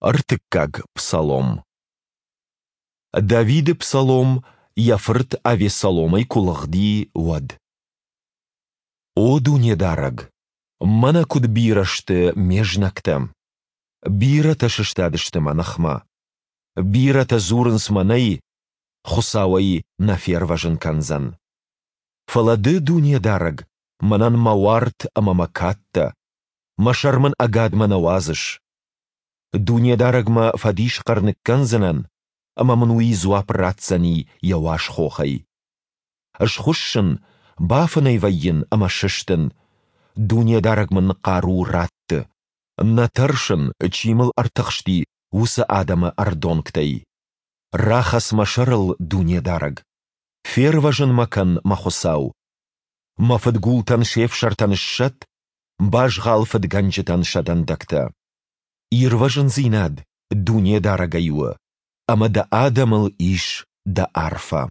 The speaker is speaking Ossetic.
Ӕртыккаг псалом. Давиды псалом, йӕ фырт Авессаломӕй куы лыгъди, уӕд. О Дунедарӕг, мӕнӕ куыд бирӕ сты ме знӕгтӕ! Бирӕтӕ сыстадысты мӕ ныхмӕ. Бирӕтӕ дзурынц мӕнӕй, Хуыцау ӕй нӕ фервӕзын кӕндзӕн. Фӕлӕ Ды, Дунедарӕг, мӕнӕн мӕ уарт ӕмӕ мӕ кад дӕ, мӕ сӕр мын ӕгадмӕ нӕ уадзыс. Дунедарӕгмӕ фӕдисхъӕр ныккӕндзынӕн, ӕмӕ мын уый дзуапп ратдзӕни йӕ уаз хохӕй. Схуыссын, бафынӕй вӕййын ӕмӕ сыстын. Дунедарӕг мын хъару ратты. Нӕ тӕрсын, чи мыл ӕртыхсти, уыцы адӕмы ӕрдонгтӕй. Рахӕц мӕ сӕрыл, Дунедарӕг! Фервӕзын мӕ кӕн, мӕ Хуыцау! Мӕ фыдгултӕн се фсӕртӕ ныссӕтт, базгъал фыдгӕнджытӕн сӕ дӕндӕгтӕ. Ирвӕзындзинад Дунедарӕгӕй у, ӕмӕ дӕ адӕмыл ис дӕ арфӕ.